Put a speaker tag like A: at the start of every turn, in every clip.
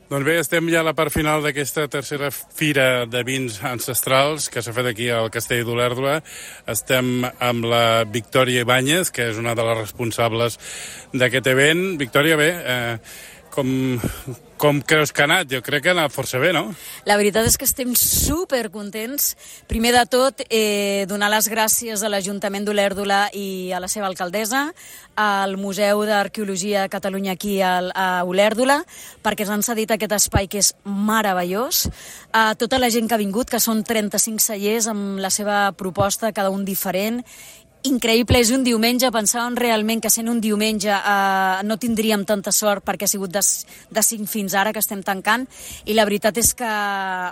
A: Doncs bé, estem ja a la part final d'aquesta tercera fira de vins ancestrals que s'ha fet aquí al Castell d'Olèrdola. Estem amb la Victòria Ibáñez, que és una de les responsables d'aquest event. Victòria, bé, com creus que ha anat? Jo crec que ha anat força bé, no?
B: La veritat és que estem supercontents. Primer de tot, donar les gràcies a l'Ajuntament d'Olèrdola i a la seva alcaldessa, al Museu d'Arqueologia de Catalunya aquí a Olèrdola, perquè ens han cedit aquest espai que és meravellós. A tota la gent que ha vingut, que són 35 cellers amb la seva proposta, cada un diferent. Increïble, és un diumenge, pensàvem realment que sent un diumenge no tindríem tanta sort perquè ha sigut de 5 fins ara que estem tancant, i la veritat és que,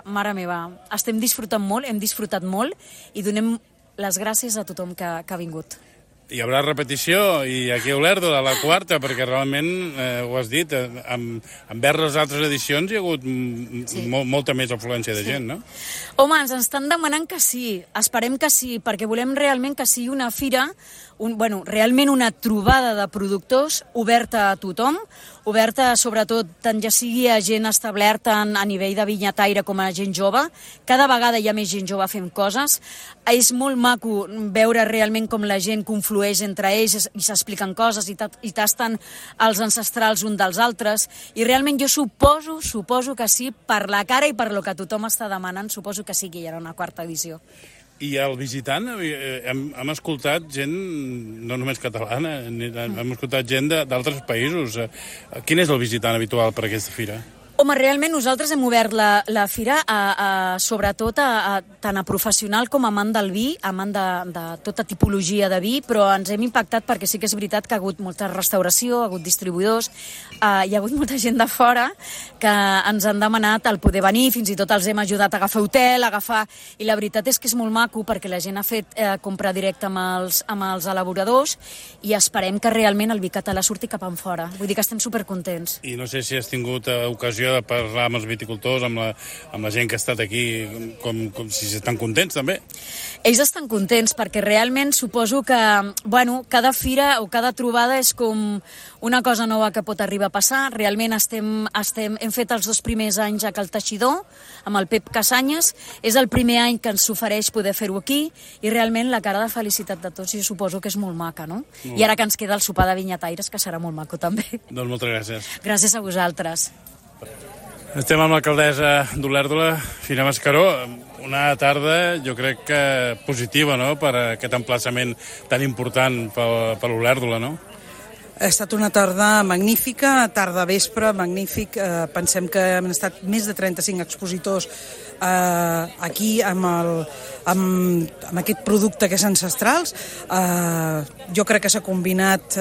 B: mare meva, estem disfrutant molt, hem disfrutat molt i donem les gràcies a tothom que ha vingut.
A: Hi haurà repetició i aquí a Olèrdola, la quarta, perquè realment, ho has dit, envers les altres edicions hi ha hagut molta més afluència de gent, no?
B: Home, ens estan demanant que sí, esperem que sí, perquè volem realment que sigui una fira, realment una trobada de productors oberta a tothom, oberta sobretot tant ja sigui a gent establerta a nivell de vinyataire com a gent jove. Cada vegada hi ha més gent jove fent coses. És molt maco veure realment com la gent conflueix entre ells i s'expliquen coses i tasten els ancestrals un dels altres. I realment jo suposo que sí, per la cara i per lo que tothom està demanant, suposo que sí que hi haurà una quarta edició.
A: I el visitant, hem escoltat gent, no només catalana, hem escoltat gent d'altres països. Quin és el visitant habitual per aquesta fira?
B: Home, realment nosaltres hem obert la fira sobretot tant a professional com a amant del vi, amant de tota tipologia de vi, però ens hem impactat perquè sí que és veritat que ha hagut molta restauració, ha hagut distribuïdors, hi ha hagut molta gent de fora que ens han demanat el poder venir, fins i tot els hem ajudat a agafar hotel, i la veritat és que és molt maco perquè la gent ha fet compra directa amb els elaboradors i esperem que realment el vi català surti cap enfora. Vull dir que estem supercontents.
A: I no sé si has tingut ocasió de parlar amb els viticultors, amb la gent que ha estat aquí, com si estan contents també.
B: Ells estan contents perquè realment suposo que cada fira o cada trobada és com una cosa nova que pot arribar a passar. Realment hem fet els 2 primers anys a Cal Teixidor amb el Pep Casanyes. És el primer any que ens s'ofereix poder fer-ho aquí i realment la cara de felicitat de tots jo suposo que és molt maca, no? I ara que ens queda el sopar de vinyataires, que serà molt maco també.
A: Doncs moltes gràcies.
B: Gràcies a vosaltres.
A: Estem amb l'alcaldessa d'Olèrdola, Fina Mascaró. Una tarda, jo crec que positiva, no?, per aquest emplaçament tan important per Olèrdola, no?
C: Ha estat una tarda magnífica, tarda vespre, magnífic. Pensem que han estat més de 35 expositors aquí amb aquest producte que és ancestrals. Jo crec que s'ha combinat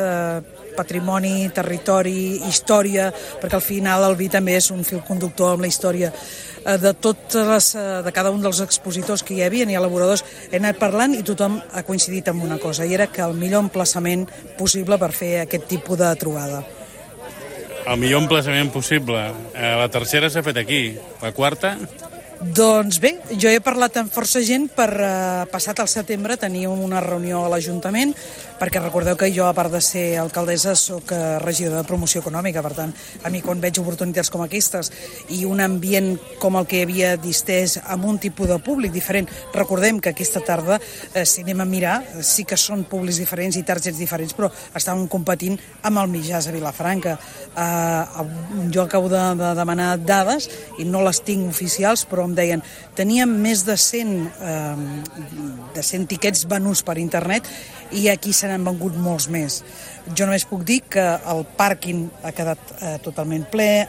C: patrimoni, territori, història, perquè al final el vi també és un fil conductor amb la història de cada un dels expositors que hi havia i elaboradors. He anat parlant i tothom ha coincidit en una cosa, i era que el millor emplaçament possible per fer aquest tipus de trobada.
A: El millor emplaçament possible. La tercera s'ha fet aquí. La quarta?
C: Doncs bé, jo he parlat amb força gent per passat al setembre tenir una reunió a l'Ajuntament, perquè recordeu que jo, a part de ser alcaldessa, soc regidora de promoció econòmica. Per tant, a mi quan veig oportunitats com aquestes i un ambient com el que havia distès amb un tipus de públic diferent, recordem que aquesta tarda, si anem a mirar, sí que són públics diferents i targets diferents, però estàvem competint amb el Mijàs a Vilafranca. Jo acabo de demanar dades i no les tinc oficials, però em deien, teníem més de 100 tiquets venuts per internet i aquí se n'han vengut molts més. Jo només puc dir que el pàrquing ha quedat totalment ple,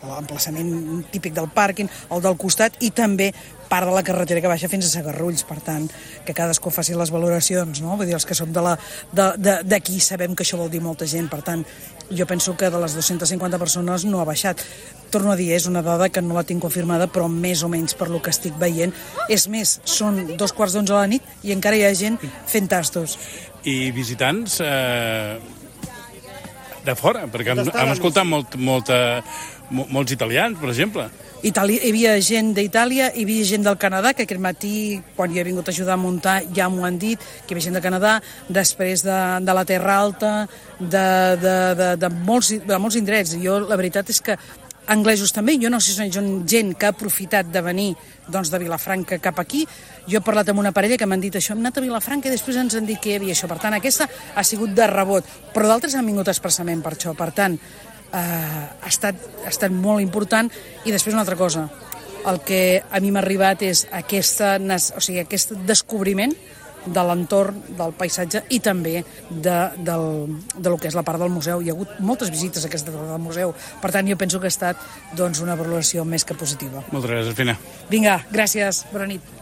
C: l'emplaçament típic del pàrquing, el del costat i també part de la carretera que baixa fins a Sagarrulls. Per tant, que cadascú faci les valoracions, no? Vull dir, els que som d'aquí sabem que això vol dir molta gent. Per tant, jo penso que de les 250 persones no ha baixat. Torno a dir, és una dada que no la tinc confirmada, però més o menys per lo que estic veient. És més, són 2:45 de la nit i encara hi ha gent fent tastos.
A: I visitants de fora, perquè hem escoltat molts italians, per exemple.
C: Hi havia gent d'Itàlia, hi havia gent del Canadà, que aquest matí, quan jo he vingut a ajudar a muntar, ja m'ho han dit, que hi havia gent de Canadà, després de la Terra Alta, de molts indrets. Jo, la veritat és que anglesos també, jo no sé si són gent que ha aprofitat de venir doncs, de Vilafranca cap aquí. Jo he parlat amb una parella que m'han dit això, hem anat a Vilafranca i després ens han dit que hi havia això. Per tant, aquesta ha sigut de rebot, però d'altres han vingut expressament per això. Per tant, ha estat molt important. I després una altra cosa, el que a mi m'ha arribat és aquest descobriment de l'entorn, del paisatge i també de lo que és la part del museu. Hi ha hagut moltes visites a aquesta part del museu, per tant jo penso que ha estat una valoració més que positiva.
A: Moltes gràcies, Fina.
C: Vinga, gràcies, bona nit.